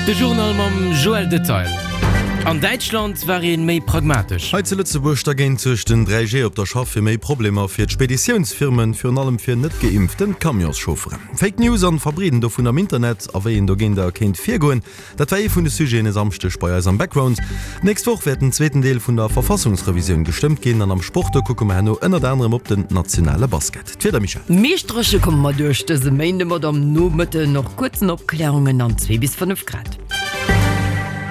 De Journal mam Joël Detail. An Däitschland war ee méi pragmatesch. Hei zu Lëtzebuerg dergéint suergt den 3G op der Schaff fir méi Problemer fir d'Speditiounsfirmen, virun allem fir net geimpften Camionschaufferen. Fake News an Verbreeden dovun am Internet a wéi een dogéinter kéint virgoen, Dat war ee vun de Sujeten e Samschdeg bei eis am Background. D'nächst Woch wäert den zweeten Deel vun der Verfassungsrevisioun gestëmmt ginn an am Sport, do kucke mer herno ënnert anerem op den nationale Basket. D'Wieder, Michèle? Meescht dréche komme mer duerch dëse Méinde mat am Nomëtten och kuerzen Opklärungen an 2 bis 5 Grad.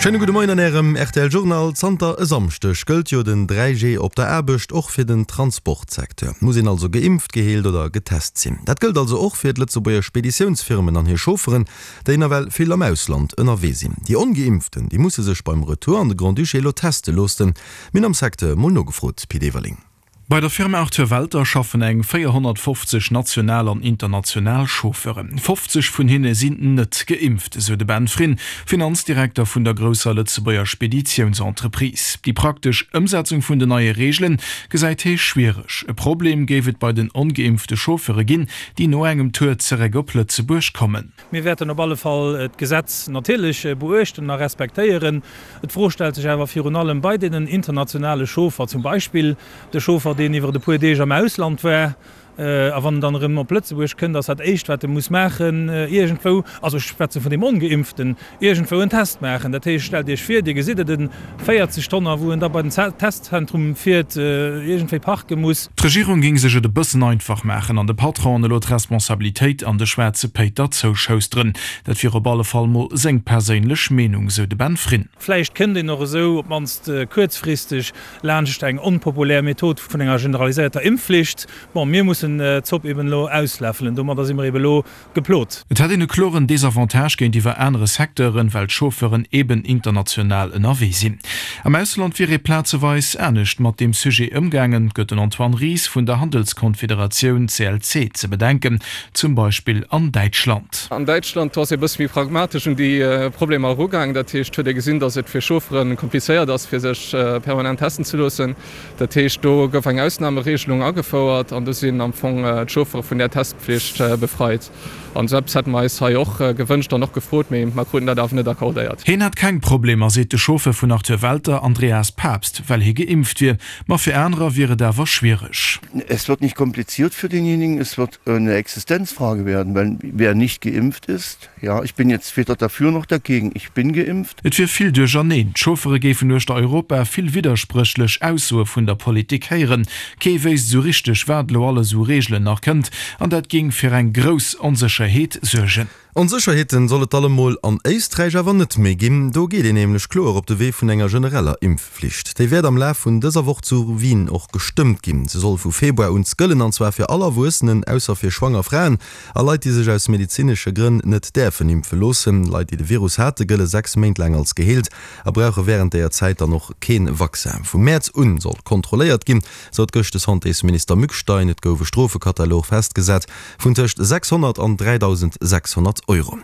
Schéine gudde Moien an Ärem rtl Journal. Zanter e Samschdeg gëllt jo den 3G op der Aarbecht, och fir den Transportsecteur. Muss een also geimpft, geheelt oder getest sinn. Dat gëllt also och fir d'Lëtzebuerger Speditiounsfirmen an hir Chaufferen. déi nawell vill am Ausland ënnerwee sinn. Déi Ongeimpften, déi musse sech beim Retour an de Grand-Duché elo teste loossen. Mir hunn am Secteur mol nogefrot, Pit Everling. Bei der Firma Arthur Welter schaffen eng 450 national an international Chauffeuren. 50 vun hinne sinn net geimpft, esou de Ben Frin, Finanzdirekter vun der grousser Lëtzebuerger Speditiounsentreprise. Déi praktesch Ëmsetzung vun den neie Reegele gesäit hie schwiereg. E Problem géif et bei den ongeimpfte Chauffeure ginn, déi no engem Tour zeréck op Lëtzebuerg kommen. Mir wäerten op alle Fall d'Gesetz natierlech beuechten a respektéieren. D'Fro stellt sech awer virun allem bei deenen internationale Chauffer, zum Beispill de Chauffer, deen iwwer e puer Deeg am Ausland war, a wann en dann erëm op Lëtzebuerg kënnt, ass dat Éischt, wat e muss maachen, iergendwou, also ech schwätze vun deem Ongeimpften, iergendwou en Test maachen. Dat heescht, stellt Iech vir, Dir gesitt et, e 40 Tonner, wou en da bei den Testzentrum fiert, iergendwéi parke muss. D'Regierung géing sech et e bëssen einfach maachen an de Patronen elo d'Responsabilitéit an de schwaarze Péiter zouschousteren. Dat wier op alle Fall mol seng perséinlech Meenung, sou de Ben Frin. Vläicht kënnt een och esou, op d'mannst kuerzfristeg, laanscht eng onpopulär Method vun enger generaliséierter Impfflicht. Bon, mir mussen d'Zopp eben elo ausläffelen. Domadder si mer eben elo Geplot. Et hätt een e kloren Desavantage géintiwwer anere Secteuren, well d'Chauffeuren eben international ënnerwee sinn. Am Ausland wier ee plazeweis anescht mat deem Sujet ëmgaangen, gëtt den Antoine Ries vun der Handelskonfederatioun CLC ze bedenken, zum Beispill an Däitschland. An Däitschland, do ass ee bësse méi pragmatesch un déi Problemer erugaangen. Dat heescht, huet ee gesinn, datt et fir Chauffere komplizéiert ass, fir sech permanent testen ze loossen. Dat heescht, do gouf eng Ausnameregelung agefouert an do sinn am Fong d'Chauffere vun där Testpflicht befreit. An esou eppes hätte mer eis hei och gewënscht an och gefrot, mee mer kruten dat awer net accordéiert. Hien hätt keng Problemer, seet de Chauffeur vun Arthur Welter, Andreas Papst, well hie geimpft wier. Ma fir anerer wier et awer schwiereg. Es wird nicht kompliziert für denjenigen, es wird eine Existenzfrage werden, weil wer nicht geimpft ist, Ja, ich bin jetzt weder dafür noch dagegen. Ich bin geimpft. Et wier vill Duercherneen, d'Chauffere géifen uechter Europa vill widderspréchlech Aussoe vun der Politik héieren. Kee wéisst esou richteg, wat elo alles u Reegelen nach kënnt, an dat géing fir eng grouss Onsécherheet suergen. Onsécherheeten soll et allemol an Éisträich awer net méi ginn. Do geet een nämlech kloer op de Wee vun enger genereller Impfflicht. Déi wäert am Laf vun dëser Woch zu Wien och gestëmmt ginn. Se soll vu Februar un gëllen, an zwar fir all Erwuessenen, ausser fir schwanger Fraen. A Leit, déi sech aus medezinesche Grënn net däerfen impfe loossen. Leit, déi de Virus hate, gëlle 6 Méint laang als geheelt a brauche wärend deeër Zäit dann och kee Vaccin. Vum Mäerz un soll kontrolléiert ginn, sot gëscht de Santésminister Mückstein. Et gouf e Strofekatalog festgesat vun tëscht 600 an 3.600 Euro.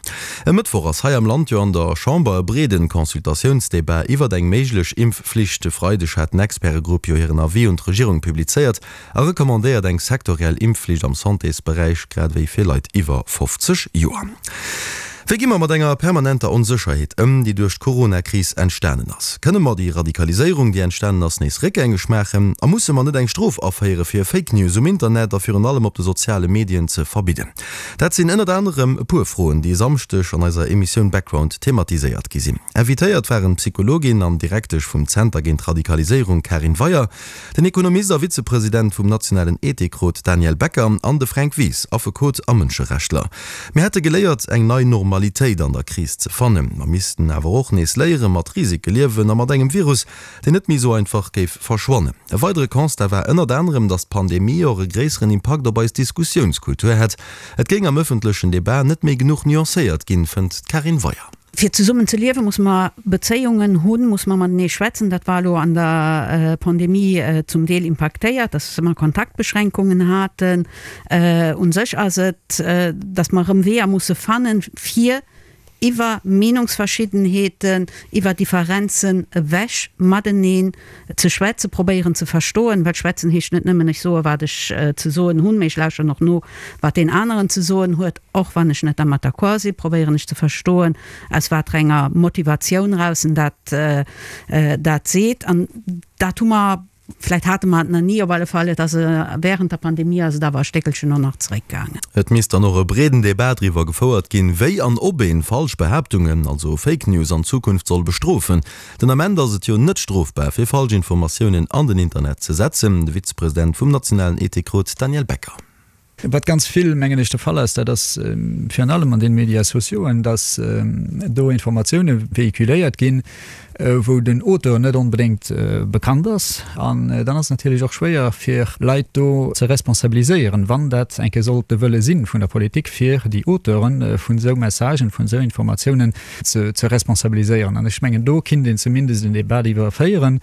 E Mëttwoch ass hei am Land jo an der Chamber e breede Consultatiounsdebat iwwert eng méiglech Impfflicht. E Freideg hat den Expertegrupp jo hiren Avis un d'Regierung publizéiert. A recommandéiert eng sektoriell Impfflicht am Santésberäich, grad ewéi fir Leit iwwer 50 Joer. Wéi gi mer mat enger permanenter Onsécherheet ëm, déi duerch d'Corona-Kris entstanen ass? Kënne mer déi Radikaliséierung, déi entstanen ass, nees réckgängeg maachen? A musse mer net eng Strof aféiere fir Fake News um Internet a virun allem op de soziale Medien ze verbidden? Dat sinn ënnert anerem e puer Froen, déi e Samschdeg an eiser Emissioun Background thematiséiert gi sinn. Invitéiert waren d'Psychologin an Direktesch vum Zenter géint Radikaliséierung Karin Weyer, Den Ekonomist a Vizepresident vum nationalen Ethikrot Daniel Becker an de Fränk Wies, Affekot a Mënscherechtler. Mir hätte geléiert, eng nei Normalitéit an der Kris ze fannen. Mer missten awer och nees léiere mat Risike liewen a mat engem Virus, deen net méi esou einfach géif verschwannen. E weidere Constat war ënnert anerem, datt d'Pandemie och e gréisseren Impakt op eis Diskussiounskultur hätt. Et géing am ëffentlechen Debat net méi genuch nuancéiert ginn, fënnt d'Karin Weyer. Fir zesummen ze liewen, muss mer Bezéiungen hunn, muss mer matenee schwätzen. Dat war elo an der Pandemie zum Deel impaktéiert, dass mer Kontaktbeschränkungen haten. U sech ass et, dass mer erëm Weeër musse fannen, fir. Iwwer Meenungsverschiddenheeten, iwwer Differenzen ewech mateneen ze schwätzen, probéieren ze verstoen, well schwätzen heescht net nëmmen, ech soe wat ech ze soen hunn, mee ech lauschteren och no, wat deen aneren ze soen huet, och wann ech net dermat d'accord sinn, probéieren ech ze verstoen, aus waterenger Motivatioun eraus en dat dat seet. An dat hu mer Vläit hate mer et nach ni, op alle Fall, et ass während der Pandemie ass et awer e Stéckelchen och nach zeréckgaangen. Et misst dann och e breeden Debat driwwer gefouert ginn, wéi an ob een falsch Behaaptungen, also Fake News, an Zukunft soll bestrofen. Den Ament ass et jo net strofbar, fir falsch Informatiounen an den Internet ze setzen. De Vizepresident vum nationalen Ethikrot Daniel Becker. Wat ganz vill, mengen ech, de Fall ass, dat ass virun allem an den Médias sociauxen, dass do Informatioune véhiculéiert ginn, wou den Auteur net onbedéngt bekannt ass. An dann ass et natierlech och schwéier, fir Leit do ze responsabiliséieren, wann dat eng Kéier sollt de Wëlle si vun der Politik, fir déi Auteure vun esou Messagen, vun esou Informatiounen ze responsabiliséieren. An ech mengen, do kinnt een zumindest en Débat iwwer féieren.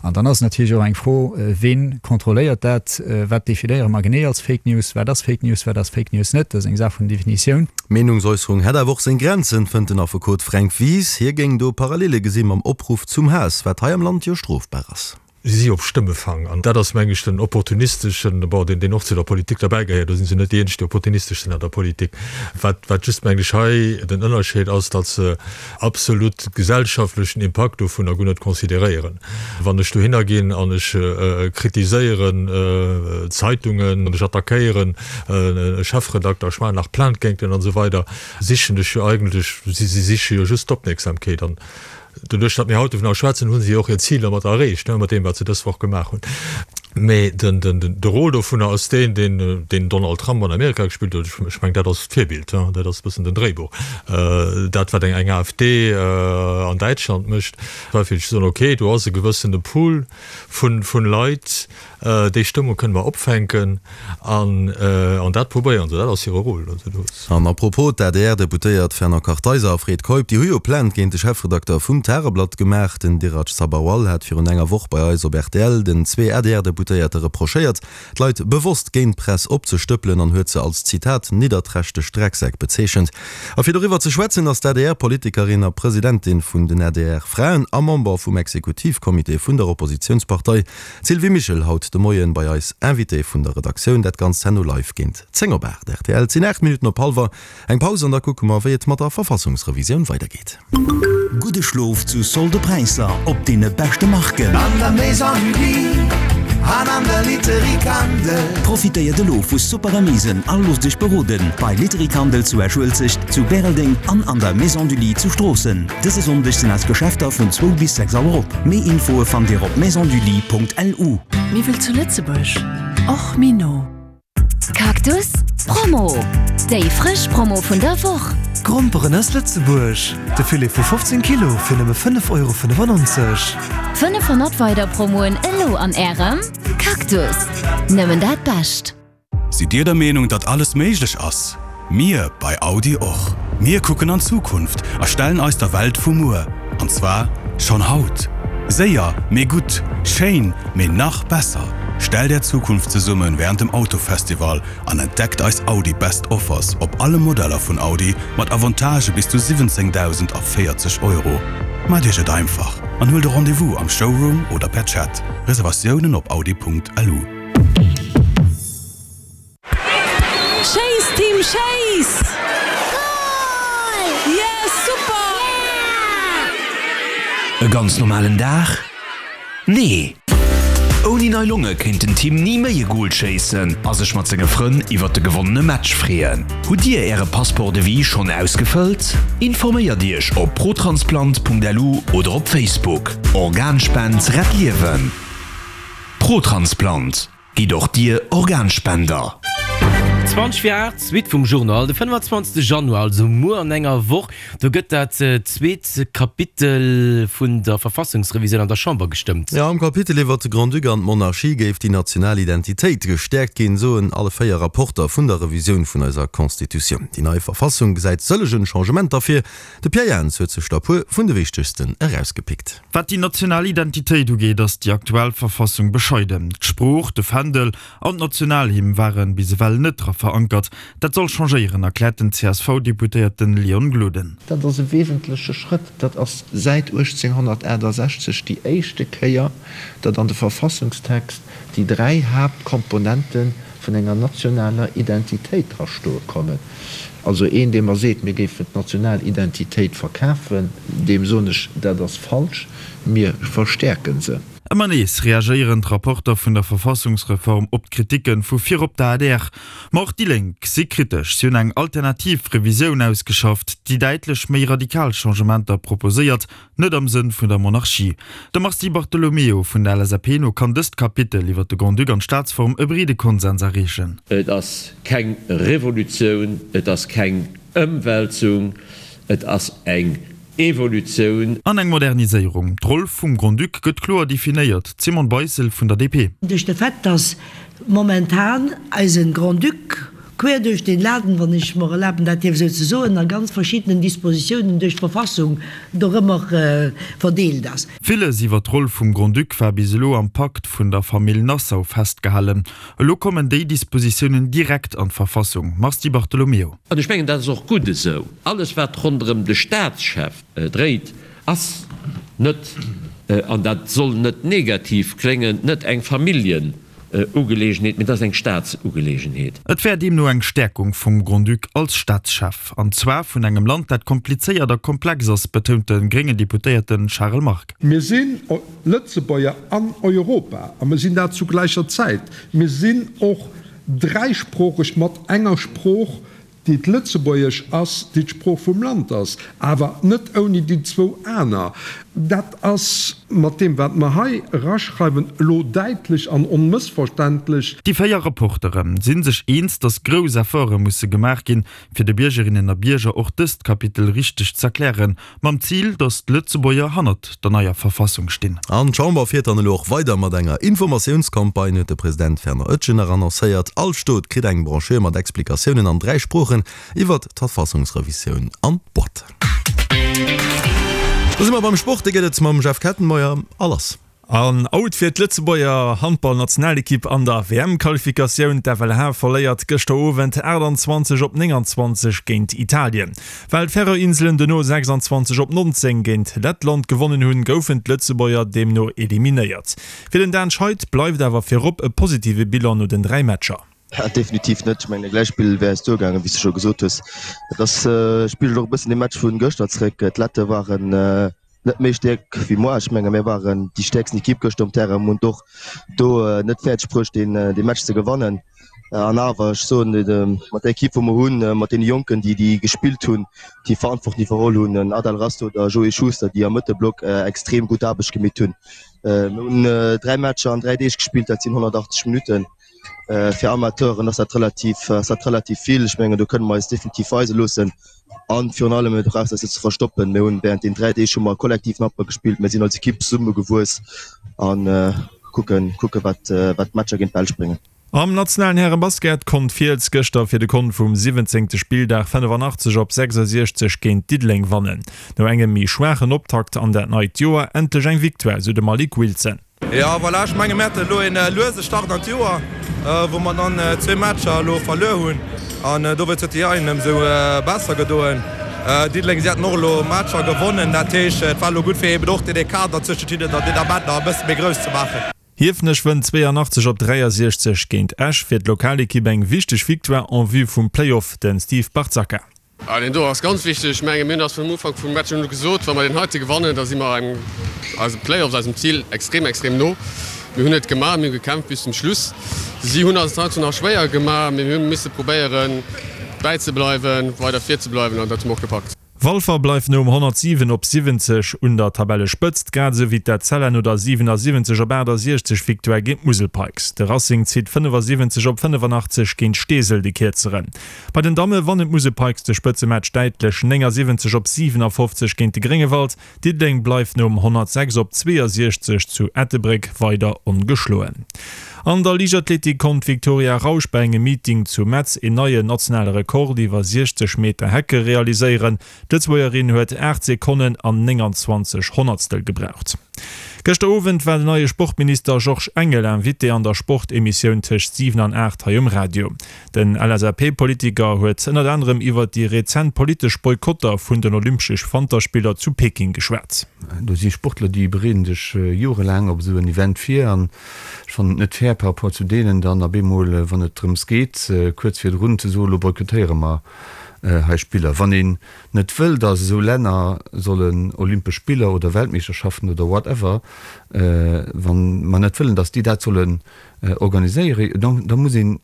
An dann ass et natierlech och eng Fro, Ween kontrolléiert dat? Wat definéiere mer genee als Fake News? Wat ass Fake News, wat ass Fake News net? Dat ass eng Saach vun Definitioun. D'Meenungsäusserung hätt awer och seng Grenzen, fënnt den Affekot Fränk Wies. Hie géing do Parallele gesi mam Opruff zum Haass, wat hei am Land jo strofbar ass. Si si op Stëmmefang. An dat ass, meng ech, den opportunisteschen, bon, deen, deen och zu der Politik derbäigehéiert, do si se net déi eenzeg, déi opportunistesch sinn an der Politik. Wat, wat just, meng ech, hei den Ënnerscheed ass, datt se absolut gesellschaftlechen Impakt dovunner guer net consideréieren. Wann ech dohinner ginn an ech kritiséieren Zeitungen, an ech attackéieren e Chefredakter, ech maachen nach Plainte géint en an esou weider, sichen ech jo eigentlech, si siche jo just d'Opmierksamkeet. An doduerch, datt mir haut dovunner schwätzen, hu si jo och hiert Zil dermat erreecht, mat deem, wat se dës Woch gemaach hunn. Mee de Rôle dovunner ass deen, deen den Donald Trump an Amerika gespillt huet. Ech mengen, dat ass d'Virbild, dat ass e bëssen den Dréibuch. Dat, wat eng AfD an Däitschland mécht, war fir ze soen, okay, do ass e gewëssene Pool vu Leit, déi Stëmmung kënne mer opfänken an dat probéieren se. Dat ass hire Rôle. An à propos, d'ADR-Deputéiert Fernand Kartheiser a Fred Keup, déi hu jo Plainte géint de Chefredakter vum Tageblatt gemaach. Den Dhiraj Sabharwal hat virun enger Woch bei eis op rtl den zwee ADR-Deputéierte reprochéiert, d'Leit bewosst géint d'Press opzestëppelen an huet se als, Zitat, nidderträchteg Drecksäck bezeechent. A fir doriwwer ze schwätzen, ass d'ADR-Politikerin a Presidentin vun den ADR-Fraen a Member vum Exekutivcomité vun der Oppositiounspartei, d'Sylvie Mischel, haut de Moien bei eis Invitée vun der Redaktioun. Dat Ganzt herno live géint 10 op 8. Rtl, Et sinn 8 Minutten op hallwer. Eng Paus an da kucke mer, wéi et mat der Verfassungsrevisioun weidergeet. Gudde Schlof zu solde Präisser op deene beschte Marken. An der Maison du Lit an an der Literie Kandel. Profitéiert elo vu super Remisen a loosst Iech beroden bei Literie Kandel zu Esch-Uelzecht, zu Bäreldeng an an der Maison du Lit zu Stroossen. Dëse Sonndeg sinn eis Geschäfter vun zwou bis 6 Auer op. Méi Infoe fannt Dir op maisondulit.lu. Miwwel zu Lëtzebuerg, och méi no. Cactus Promo, Déi frësch Promo vun der Woch! Gromperen aus Lëtzebuerg, de Filet vu 15 Kilo fir nëmme 5,95 Euro. 500 weider Promoen elo an Ärem Cactus! Nëmmen dat Bescht! Sidd Dir der Meenung, datt alles méiglech ass? Mir bei Audi och! Mir kucken an d'Zukunft a stellen eis der Welt vu muer, an zwar schonn haut! Séier, mee gutt, schéin, mee nach besser! Stellt Är Zukunft zesumme wärend dem Autofestival an entdeckt eis Audi Best Offers op alle Modeller vun Audi mat Avantagë bis zu 17.040 Euro. Maacht Iech et einfach an huelt e Rendez-vous am Showroom oder per Chat. Reservatiounen op audi.lu. Schéiss Team schéiss! Goal! Yes super! E ganz normalen Dag? Nee! Ouni nei Longe kéint den Tim ni méi e Goal schéissen a sech mat senge Frënn iwwert de gewonnene Match freeën. Hutt Dir Äre Passeport de vie schonn ausgefëllt? Informéiert Iech op protransplant.lu oder op Facebook. Organspend rett Liewen! Protransplant. Gitt och Dir Organspender! 20 vir 8, d'Suite vum Journal. De 25 Januar, also muer an enger Woch, do gëtt dat zweet Kapitel vun der Verfassungsrevisioun an der Chamber gestëmmt. Jo, am Kapitel iwwert de Grand-Duc an d'Monarchie géif déi national Identitéit gestäerkt ginn, soen alle 4 Rapporter vun der Revisioun vun eiser Constitutioun. Déi nei Verfassung gesäit sëllegen Changementer vir. De Pierre Jans huet sech der puer vun de wichtegsten erausgepickt. Wat déi national Identitéit ugeet, ass déi aktuell Verfassung bescheiden. D'Sprooch, de Fändel an d'Nationalhymn ware bis ewell net dra. verankert. Dat soll changéieren, erkläert den CSV-Deputéierten Leon Gloden. Dat ass e wesentleche Schrëtt. Dat ass säit 1868 déi éischte Kéier, datt an de Verfassungstext déi dräi Haaptkomponente vun enger nationaler Identitéit drastoe kommen. Also een, dee mer seet, mir géifen d'national Identitéit verkafen, deem soen ech, dat ass falsch, mir verstäerke se. Ëmmer nees reagéieren d'Rapporter vun der Verfassungsreform op d'Kriticke vu virop der adr. Ma och déi Lénk si kritesch. Si hunn eng alternativ Revisioun ausgeschafft, déi däitlech méi radikal Changementer proposéiert, net am Sënn vun der Monarchie. Dem Mars Di Bartolomeo vun der LSAP no kann dëst Kapitel iwwer de Grand-Duc an d'Staatsform e breede Konsens erreechen. Et ass keng Revolutioun, et ass keng Ëmwälzung, et ass eng Evolutioun. An eng Moderniséierung. D'Roll vum Grand-Duc gëtt kloer definéiert. D'Simone Beissel vun der DP. Duerch de Fait, dass momentan eise Grand-Duc quer duerch den Laden, wann ech mer erlaben dat dierf esou ze soen, a ganz verschiddenen Dispositiounen duerch d'Verfassung dorëmmer verdeelt ass. Villes iwwer d'Roll vum Grand-Duc war bis elo am Pakt vun der Famill Nassau festgehalen. Elo kommen déi Dispositiounen direkt an d'Verfassung. Mars Di Bartolomeo. An ech mengen, dat ass och gutt esou. Alles, wat ronderëm de Staatschef dréit, ass net, an dat soll net negativ kléngen, net eng Familljengelegenheet, mee dat ass eng Staatsugelegenheet. Et wär deemno eng Stäerkung vum Grand-Duc als Staatschef, an zwar vun engem Land, dat komplizéiert a komplex ass, betount de gréngen Deputéierte Charel Margue. Mir sinn Lëtzebuerger an Europa a mir sinn dat zu gläicher Zäit. Mir sinn och dräisproocheg mat enger Sprooch, déi d'Lëtzebuergesch ass, déi d'Sprooch vum Land ass, awer net ouni déi zwou aner. Dat ass mat deem, wat mer hei eraschreiwen, elo däitlech an onmëssverständlech. Déi 4 Rapportere si sech eens, datt grouss Efforte musse gemaach ginn, fir de Biergerinnen a Bierger och dëst Kapitel richteg z'erklären. Mam Zil, datt d'Lëtzebuerger hannert der neier Verfassung stinn. An d'Chamber fiert dann elo och weider mat enger Informatiounscampagne, huet de President Fernand Etgen nach annoncéiert. All Stot kritt eng Brochure mat Explikatiounen an 3 Sproochen iwwert d'Verfassungsrevisioun an d'Boîte. Da si mer beim Sport, dee gëtt et mam Jeff Kettenmeyer. A lass! An Out fir d'Lëtzebuerger Handballnationalekipp an der WM-Qualifikatioun. D'FLH verléiert gëschter Owend 28 op 29 géint Italien. Well d'Färöer-Inselen dono 26 op 19 géint Lettland gewonnen hunn, goufen d'Lëtzebuerger deemno eliminéiert. Fir den Dan Scheid bleift awer virop e positive Bilan no den 3 Matcher. Definitiv net. Ech mengen, e Gläichspill wär eis duergaangen, wéi s de scho gesot hues. Et ass, spigelt och e bëssen dee Match vu gëschter zeréck. D'Lette waren net méi stäerk wéi moi. Ech menge mir waren déi stäerksten Ekipp gëschter um Terrain, hunn et och do net fäerdeg bruecht deen dee Match ze gewannen. An awer, ech soen mat der Ekipp wou mer hunn, mat deene Jonken déi déi gespillt hunn, déi Verantwortung iwwerholl hunn, en Adel Rasto oder Joé Schuster, déi am Mëttelblock extrem gutt Aarbecht gemeet hunn. Mir hunn 3 Matcher an 3 Deeg gespillt, dat sinn 180 Minutten. Fir Amateuren ass dat relativ ass dat relativ vill. Ech mengen do kënne mer eis definitiv weise loossen. An virun allem, du brauchs eis net ze verstoppen, mir hunn während den 3 Deeg hu mer kollektiv Handball gespillt, mir sinn als Ekipp zesumme gewuess an kucken kucke wat wat d'Matcher géint d'Belsch bréngen. Am nationalen Härebasket konnt Fiels gëschter fir de Kont vum 17. Spilldag 85 op 66 géint Diddeleng wannen. No engem méi schwaachen Optakt an dat neit Joer endlech eng Victoire, sou de Malik Wilson. Jo voilà, ech menge mir haten elo een luese Start an d'Joer, wou mer dann zwee Matcher elo verluer hunn an dowéinst huet déi Eien ëmsou besser gedoen. Diddeleng, si haten och elo Matcher gewonnen, dat heescht et war elo gutt fir eben och deen Ecart dann zwëschent hinnen dann deen Ament nach e bësse méi grouss ze maachen. Hiefenech wënnt 82 op 63 géint Esch, fir d'Lokalekipp eng wichteg Victoire en vue vum Play-Off, den Steve Barzacca. Ah, deen do ass ganz wichteg. Ech menge mir hunn eis vum Ufank vum Match un gesot, wa mer deen heite gewannen, da si mer eisem Playoffs, eisem Zil extrem, extrem no. Mir hunn et gemaach, mir hu gekämpft bis zum Schluss. Si hunn eis et heiansdo nach schwéier gemaach, mee mir hu misse probéieren bäizebleiwen, weider vir ze bleiwen an dat hu mer och gepackt. Walfer bleift nom 107 op 70 un der Tabellespëtzt, grad esou wéi d'Etzella no der 77 op 68 Victoire géint d'Musel Pikes. De Racing zitt 75 op 85 géint Steesel de Kierzeren. Bei den Damme wannen d'Musel Pikes de Spëtzematch däitlech 79 op 57 géint de Gréngewald. Diddeleng bleift nom 106 op 62 zu Ettelbréck weider ongeschloen. An der Liichtathletik konnt d'Victoria Rausch bei engem Meeting zu Metz een neien nationale Rekord iwwer 60 Meter Hecke realiséieren. D'Lëtzebuergerin huet 8 Sekonnen an 29 Honnertstel gebraucht. Gëschter Owend war den neie Sportminister Georges Engel Invité an der Sportemissioun tëscht 7 an 8 hei um Radio. Den LSAP-Politiker huet ënnert anerem iwwert déi rezent politesch Boykotter vun den Olympschesch Wanterspiller zu Peking geschwat. Do si Sportler, déi bereeden sech jorelaang op esou en Event vir an ech fannen et net fair par rapport zu deenen dann op eemol, wann et drëms geet, kuerz virdrun ze soen, elo boykottéiere mer hei Spiller. Wann een net wëll, datt esou Länner sollen Olympesch Spiller oder Weltmeeschterschaften oder whatever, wa mer net wëllen, datt déi dat sollen organiséieren, da muss een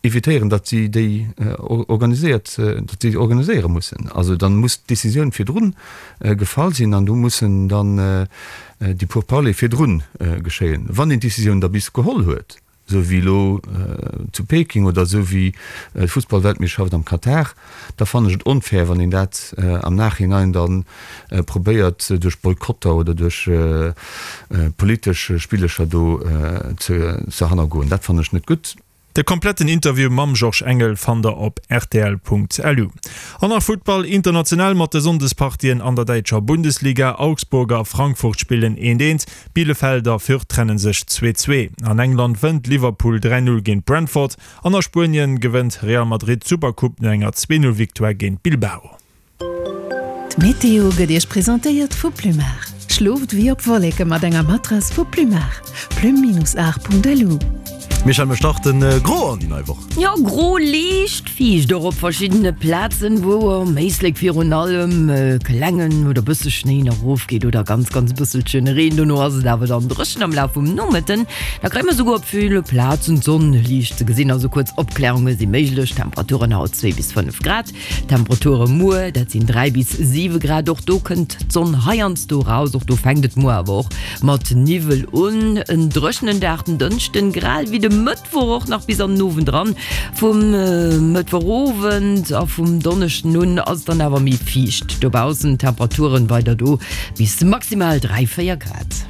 evitéieren, datt si déi organiséiert, datt si organiséiere mussen. Also dann muss d'Décisioun virdrun gefall sinn an do mussen dann déi Pourparlers virdrun geschéien. Wann een d'Décisioun da bis geholl huet, esou wéi elo zu Peking oder esou wéi d'Fussballweltmeeschterschaft am Katar, da fannen ech et onfair, wann een dat am Nachhinein da probéiert duerch Boykotter oder duerch politesch Spillecher do ze hannergoen. Dat fannen ech net gutt. De kompletten Interview mam Georges Engel fannt der op rtl.lu. An nach Futtball international mat de Sonndespartien an der däitscher Bundesliga, Augsburg a Frankfurt spillen eent eent, Bielefeld a Fürth trenne sech 2, 2. An England wënnt Liverpool 3, 0 géint Brentford an a Spuenien gewënnt Real Madrid d'Supercoupe no enger 2, 0 Victoire géint Bilbao. D'Meteo gëtt Iech presentéiert vu Plumar. Schlooft wéi op Wolleke mat enger Matrass vu Plumar. Plume-art.lu. Michèle, mir starten gro an déi nei Woch. Jo, gro, liicht fiicht och op verschiddene Plazen, wou am Éislek virun allem klengen oder bësse Schnéi nach erofgeet oder ganz, ganz bësselchen Reen. Dono ass et awer dann dréchen am Laf vum Nomëtten. Da kréie mer souguer op ville Plazen d'Sonn liicht ze gesinn, also kuerz Opklärunge si méiglech. Temperaturen haut 2 bis 5 Grad. Temperature muer, dat sinn 3 bis 7 Grad. Och do kënnt d'Sonn heiansdo raus, och do fänkt et muer awer och mat Niwwel un. En dréchenen Dag den Dënschden, grad ewéi de Mëttwoch och nach bis an den Owend eran. Vum Mëttwochowend a vum Donneschden un ass et dann awer méi fiicht dobaussen. Temperaturen weider do bis maximal 3, 4 Grad.